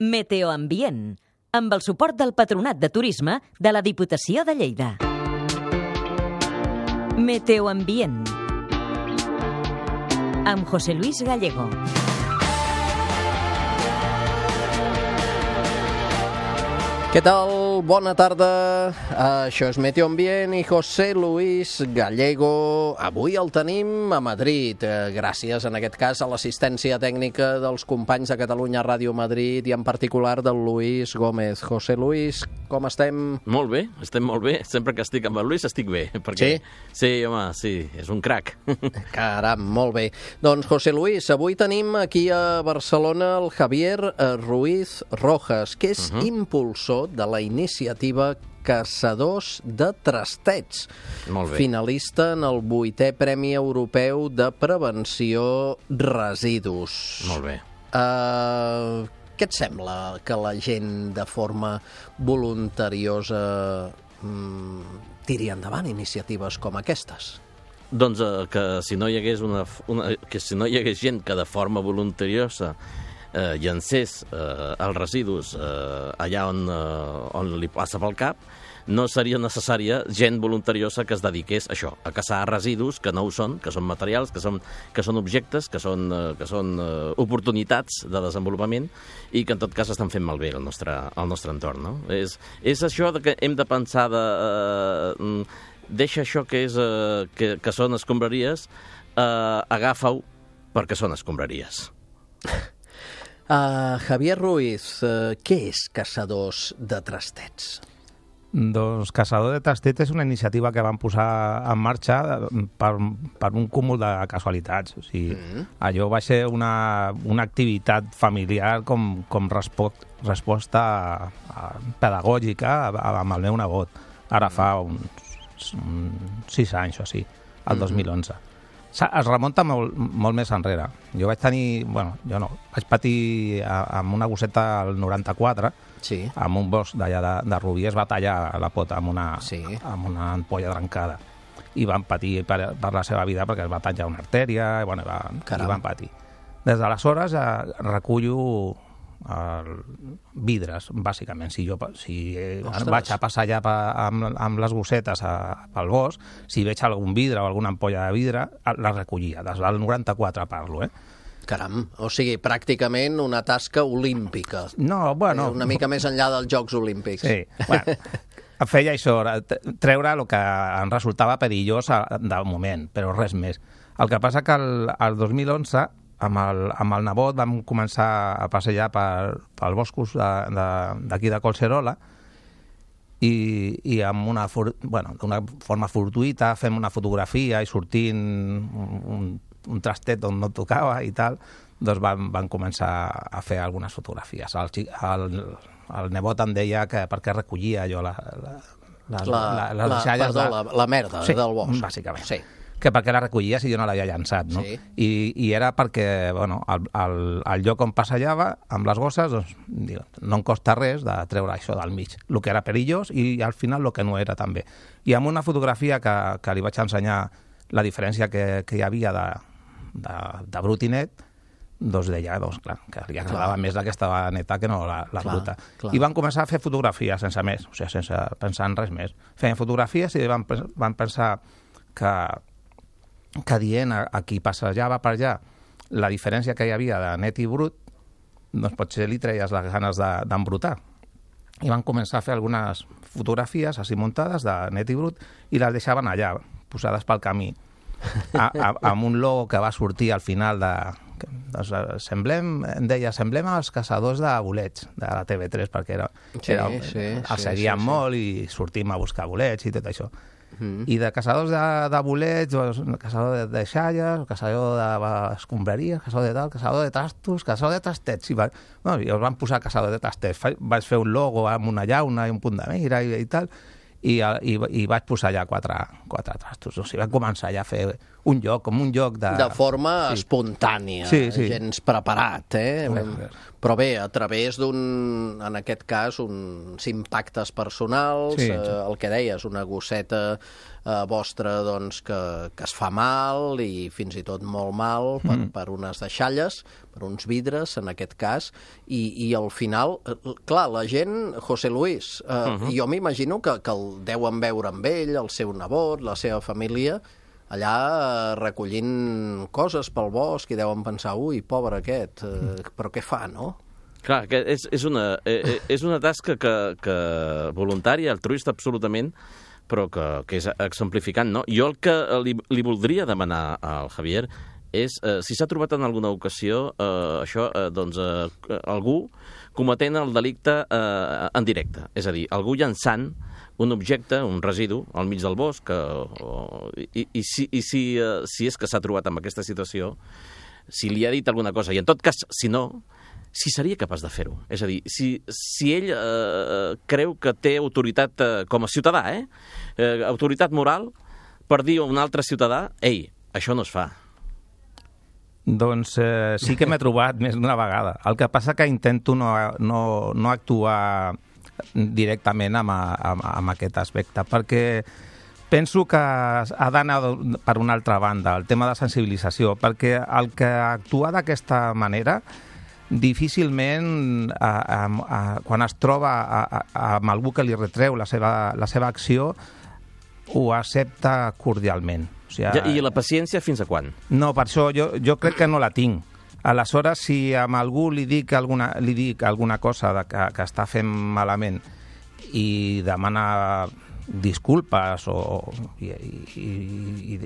Meteoambient, amb el suport del Patronat de Turisme de la Diputació de Lleida. Meteoambient, amb José Luis Gallego. Què tal? Bona tarda. Això és Meteoambient i José Luis Gallego. Avui el tenim a Madrid. Gràcies, en aquest cas, a l'assistència tècnica dels companys de Catalunya Ràdio Madrid i en particular del Luis Gómez. José Luis, com estem? Molt bé, estem molt bé. Sempre que estic amb el Luis estic bé. Perquè... Sí? Sí, home, sí, és un crac. Caram, molt bé. Doncs, José Luis, avui tenim aquí a Barcelona el Javier Ruiz Rojas, que és impulsor de la iniciativa Caçadors de Trastets. Molt bé. Finalista en el 8è Premi Europeu de Prevenció Residus. Molt bé. Què et sembla que la gent de forma voluntariosa tiri endavant iniciatives com aquestes? Doncs que si no hi hagués gent que de forma voluntariosa llancés els residus allà on li passa pel cap, no seria necessària gent voluntariosa que es dediqués a això, a caçar residus que no ho són, que són materials, que són objectes, que són oportunitats de desenvolupament i que en tot cas estan fent malbé el nostre entorn. No? És això que hem de pensar deixa això que són escombraries, agafa-ho perquè són escombraries. Javier Ruiz, què és Caçadors de Trastets? Doncs Caçador de Trastets és una iniciativa que van posar en marxa per un cúmul de casualitats. O sigui, allò va ser una activitat familiar com resposta pedagògica amb el meu nebot. Ara fa uns 6 anys o així, el 2011. Es remunta molt més enrere. Jo vaig tenir... vaig patir amb una gosseta al 94, sí, amb un bosc d'allà de Rubí, es va tallar la pota amb una ampolla trencada. I van patir per la seva vida perquè es va tallar una artèria i van patir. Des d'aleshores recullo vidres, bàsicament. Si vaig a passar allà amb les gossetes pel bosc, si veig algun vidre o alguna ampolla de vidre, la recollia. Des del 94 parlo, Caram, o sigui, pràcticament una tasca olímpica. No, bueno... Una mica més enllà dels Jocs Olímpics. Sí, bueno, feia això, treure el que em resultava perillós de moment, però res més. El que passa que el 2011, amb el nebot, vam començar a passejar pels boscos d'aquí de Collserola i amb d'una forma fortuïta fem una fotografia i sortint un trastet on no tocava i tal, doncs vam començar a fer algunes fotografies. El nebot em deia que per què recollia jo les deixalles la merda del bosc. Bàsicament. Sí. Que perquè la recollia si jo no l'havia llançat, no? Sí. I era perquè, el lloc on passejava amb les gosses, doncs, no em costa res de treure això del mig, el que era perillós i al final el que no era també. I amb una fotografia que li vaig ensenyar la diferència que hi havia de brut i net, doncs deia, clar, que li agradava més la que estava neta que no la bruta. Clar. I van començar a fer fotografies sense més, o sigui, sense pensar en res més. Feien fotografies i van pensar que dient a qui passejava per allà la diferència que hi havia de net i brut, doncs potser li treies les ganes d'embrutar. I van començar a fer algunes fotografies així muntades de net i brut i les deixaven allà, posades pel camí, amb un logo que va sortir al final semblem als caçadors de bolets de la TV3, perquè els seguien molt i sortim a buscar bolets i tot això. I de caçadors de bolets, caçador de deixalles, caçador d'escombraries, caçador de tal, caçador de trastos, caçador de trastets. I els van posar caçador de trastets. Vaig fer un logo amb una llauna i un punt de mira i tal, i vaig posar allà quatre trastos. O sigui, vam començar ja a fer un joc, com un joc de... De forma espontània, gens preparat, Però bé, a través en aquest cas, uns impactes personals, el que deies, una gosseta vostra doncs, que es fa mal i fins i tot molt mal per unes deixalles, per uns vidres, en aquest cas, i al final, clar, la gent, José Luis, jo m'imagino que el deuen veure amb ell, el seu nebot, la seva família, allà recollint coses pel bosc i deuen pensar, ui, pobre aquest, però què fa, no? Clar, és una tasca que voluntària, altruista absolutament, però que és exemplificant, no? Jo el que li voldria demanar al Javier és si s'ha trobat en alguna ocasió algú cometent el delicte en directe, és a dir, algú llançant un objecte, un residu, al mig del bosc, i si és que s'ha trobat en aquesta situació, si li ha dit alguna cosa, i en tot cas, si no, si seria capaç de fer-ho. És a dir, si ell creu que té autoritat com a ciutadà, autoritat moral, per dir a un altre ciutadà, ei, això no es fa. Doncs sí que m'he trobat més d'una vegada. El que passa que intento no actuar directament amb aquest aspecte, perquè penso que ha d'anar per una altra banda, el tema de sensibilització, perquè el que actua d'aquesta manera difícilment quan es troba amb algú que li retreu la seva acció ho accepta cordialment. O sigui, I la paciència fins a quan? No, per això jo crec que no la tinc. Aleshores, si a algú li dic alguna cosa que està fent malament i demana disculpes i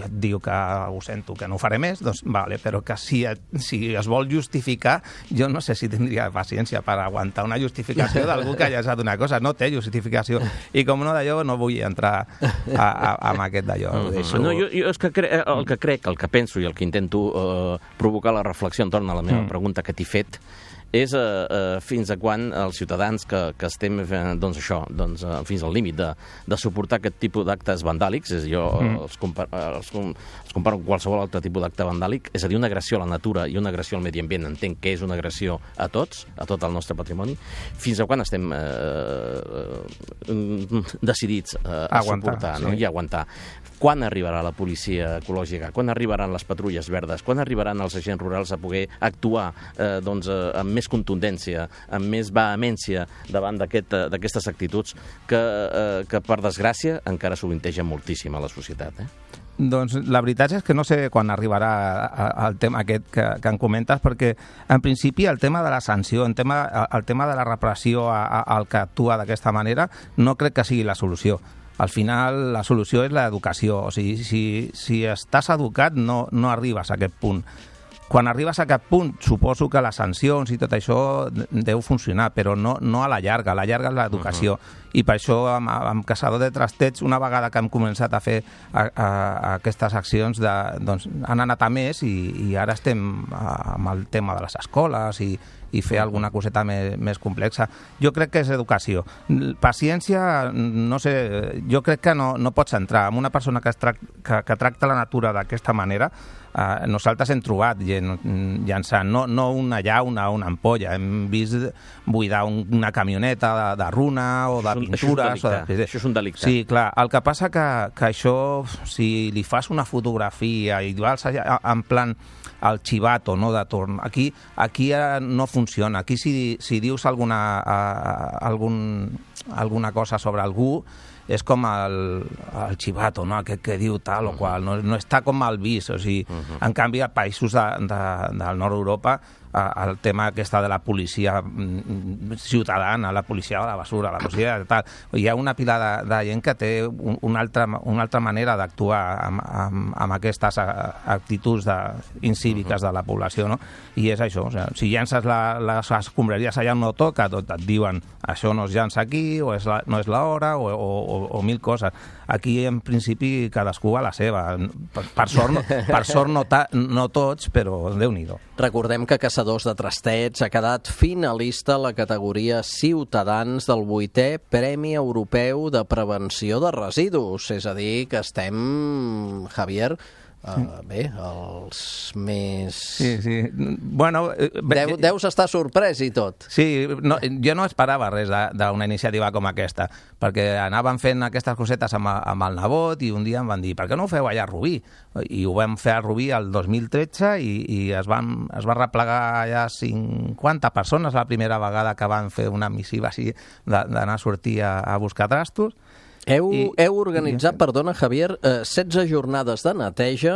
diu que ho sento, que no ho faré més, doncs vale, però que si es vol justificar, jo no sé si tindria paciència per aguantar una justificació d'algú que hagi estat una cosa, no té justificació, i com no d'allò no vull entrar amb aquest d'allò. No, jo és que el que crec, el que penso i el que intento provocar la reflexió entorn a la meva pregunta que t'he fet és fins a quan els ciutadans que estem fins al límit de suportar aquest tipus d'actes vandàlics, jo els comparo amb qualsevol altre tipus d'acte vandàlic, és a dir, una agressió a la natura i una agressió al medi ambient, entenc que és una agressió a tots, a tot el nostre patrimoni, fins a quan estem decidits a suportar i aguantar. Quan arribarà la policia ecològica? Quan arribaran les patrulles verdes? Quan arribaran els agents rurals a poder actuar amb més contundència, amb més vehemència davant d'aquestes actituds que per desgràcia, encara sovintegen moltíssim a la societat, Doncs la veritat és que no sé quan arribarà el tema aquest que em comentes, perquè en principi el tema de la sanció, el tema de la repressió al que actua d'aquesta manera, no crec que sigui la solució. Al final la solució és l'educació, o sigui, si estàs educat no arribes a aquest punt. Quan arribes a aquest punt, suposo que les sancions i tot això deu funcionar, però no a la llarga és l'educació. I per això, amb Caçador de Trastets, una vegada que hem començat a fer aquestes accions, han anat a més i ara estem amb el tema de les escoles i fer alguna coseta més complexa. Jo crec que és educació. Paciència, no sé, jo crec que no pots entrar en una persona que tracta la natura d'aquesta manera. Nosaltres hem trobat gent llançant, no una llauna o una ampolla, hem vist buidar una camioneta de runa o de pintures. Això és un delicte. Sí, clar. El que passa que això, si li fas una fotografia i vas en plan el chivato, no, de torn, aquí no funciona. Aquí si dius alguna cosa sobre algú, és com el chivato, no? Aquest que diu tal o qual, no està com mal vist. O sigui, en canvi, a països del nord d'Europa, el tema aquesta de la policia ciutadana, la policia de la basura, la policia de tal, hi ha una pila de gent que té una altra manera d'actuar amb aquestes actituds incíviques de la població, no? I és això, o sigui, si llences les escombraries allà on no toca, tot et diuen això no es llença aquí, o no és l'hora, o mil coses. Aquí, en principi, cadascú a la seva. Per sort no tots, però Déu-n'hi-do. Recordem que Caçadors de Trastets ha quedat finalista a la categoria Ciutadans del 8è Premi Europeu de Prevenció de Residus. És a dir, que estem, Javier, Bé, els més... Sí. Bueno... Deus estar sorprès i tot. Sí, jo no esperava res d'una iniciativa com aquesta, perquè anàvem fent aquestes cosetes amb el nebot i un dia em van dir, per què no ho feu allà a Rubí? I ho vam fer a Rubí el 2013 i es va replegar allà 50 persones la primera vegada que van fer una missiva així d'anar a sortir a buscar trastos. Heu organitzat, perdona, Javier, 16 jornades de neteja,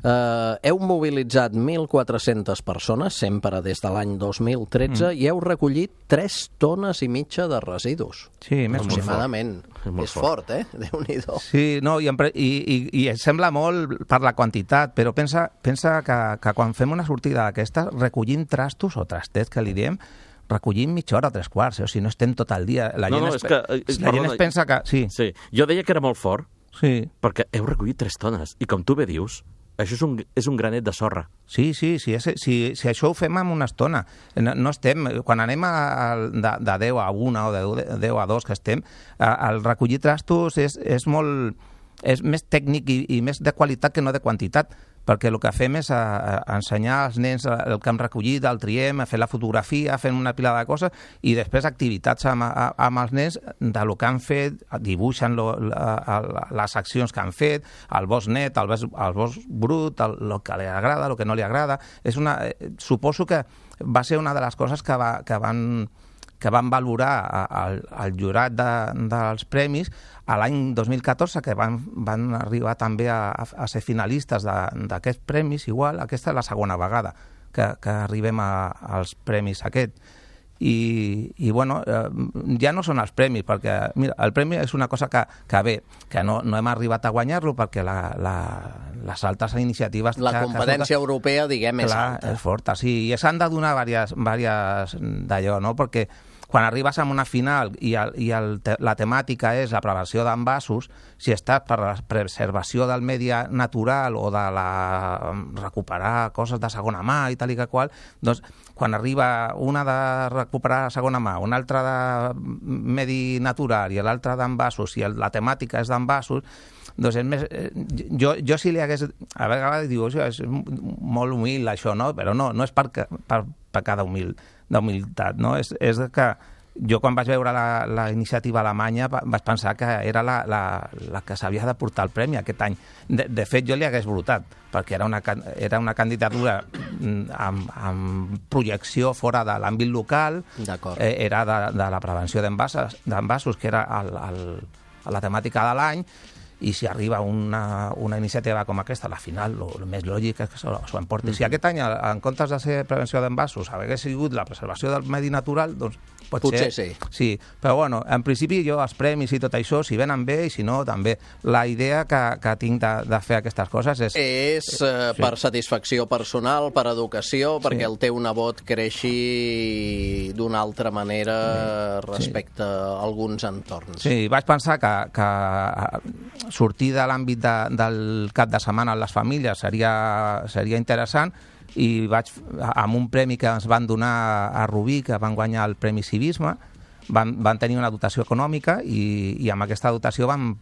heu mobilitzat 1.400 persones, sempre des de l'any 2013, i heu recollit 3 tones i mitja de residus. Sí, més aproximadament. És fort, Déu-n'hi-do. Sí, no, i sembla molt per la quantitat, però pensa que quan fem una sortida d'aquesta, recollim trastos o trastets, que li diem, recollim mitja hora, 3/4, o sigui, no estem tot el dia. La gent es pensa que... Sí, jo deia que era molt fort, perquè heu recollit 3 tones, i com tu bé dius, això és un granet de sorra. Sí, si això ho fem en una estona. No estem... Quan anem de 10 a 1 o de 10 a 2 que estem, el recollir trastos és molt... És més tècnic i més de qualitat que no de quantitat, perquè el que fem és ensenyar als nens el que hem recollit, el triem, fer la fotografia, fem una pila de coses, i després activitats amb els nens del que han fet, dibuixen les accions que han fet, el bosc net, el bosc brut, el que li agrada, el que no li agrada. Suposo que va ser una de les coses que van valorar el jurat dels premis a l'any 2014, que van arribar també a ser finalistes d'aquests premis, igual. Aquesta és la segona vegada que arribem als premis aquest. I bueno, ja no són els premis, perquè mira, el premi és una cosa que bé, que no hem arribat a guanyar-lo, perquè les altres iniciatives... La competència europea, diguem, és alta. Clar, és forta, sí, i s'han de donar diverses d'allò, no?, perquè quan arribes a una final i la temàtica és la prevenció d'envasos, si estàs per la preservació del medi natural o de recuperar coses de segona mà i tal i que qual, doncs quan arriba una de recuperar segona mà, una altra de medi natural i l'altra d'envasos, i la temàtica és d'envasos, doncs és més... Jo si li hagués... A vegades diu, és molt humil això, no? Però no és per cada d'humilitat, no? És que jo quan vaig veure la iniciativa alemanya vaig pensar que era la que s'havia de portar el premi aquest any. De fet, jo li hagués votat, perquè era una candidatura amb projecció fora de l'àmbit local, era de la prevenció d'envasos, que era la temàtica de l'any, i si arriba una iniciativa com aquesta, a la final, el més lògic és que s'ho emporti. Si aquest any, en comptes de ser prevenció d'envasos, hagués sigut la preservació del medi natural, doncs potser sí. Sí, però bueno, en principi jo els premis i tot això, si venen bé i si no, també. La idea que tinc de fer aquestes coses és... per satisfacció personal, per educació, perquè el teu nebot creixi d'una altra manera respecte a alguns entorns. Sí, vaig pensar que sortir de l'àmbit del cap de setmana a les famílies seria interessant, i amb un premi que ens van donar a Rubí, que van guanyar el Premi Civisme, van tenir una dotació econòmica i amb aquesta dotació van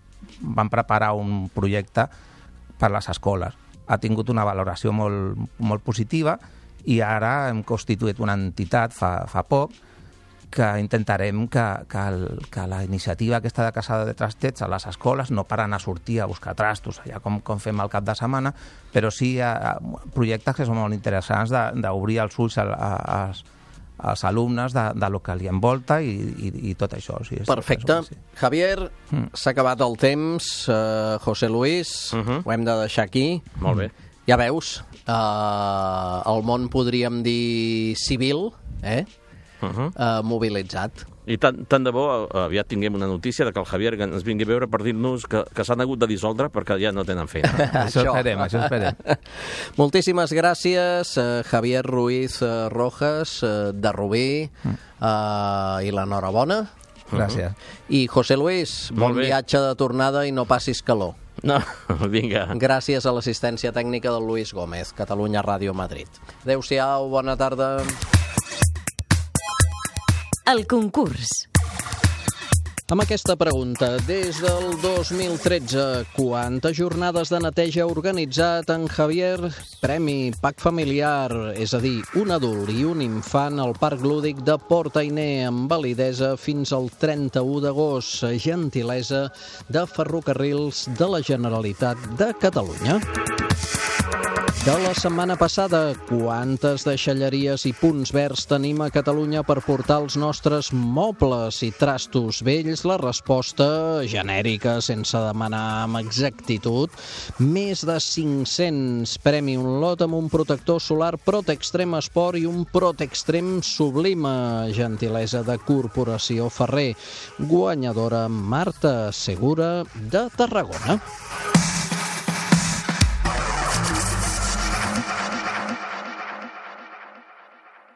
preparar un projecte per les escoles. Ha tingut una valoració molt positiva i ara hem constituït una entitat fa poc que intentarem que la iniciativa aquesta de caçada de trastets a les escoles, no per anar a sortir a buscar trastos, allà com fem al cap de setmana, però sí projectes que són molt interessants d'obrir els ulls als alumnes de lo que li envolta i tot això. Sí, perfecte. Javier, s'ha acabat el temps. José Luis, ho hem de deixar aquí. Molt bé. Ja veus, el món podríem dir civil, mobilitzat. I tant de bo aviat tinguem una notícia de que el Javier ens vingui a veure per dir-nos que s'han hagut de dissoldre perquè ja no tenen feina. Això esperem. Moltíssimes gràcies, Javier Ruiz Rojas, de Rubí, i l'enhorabona. Gràcies. I José Luis, bon viatge de tornada i no passis calor. No, vinga. Gràcies a l'assistència tècnica del Luis Gómez, Catalunya Ràdio Madrid. Adéu-siau, bona tarda. El concurs. Amb aquesta pregunta, des del 2013, quantes jornades de neteja ha organitzat en Javier? Premi PAC familiar, és a dir, un adult i un infant al Parc Lúdic de Port Ainé, amb validesa fins al 31 d'agost. Gentilesa de Ferrocarrils de la Generalitat de Catalunya. De la setmana passada, quantes deixalleries i punts verds tenim a Catalunya per portar els nostres mobles i trastos vells? La resposta genèrica, sense demanar amb exactitud, més de 500. Premi un lot amb un protector solar Protextrem Sport i un Protextrem Sublime, gentilesa de Corporació Ferrer. Guanyadora Marta Segura de Tarragona.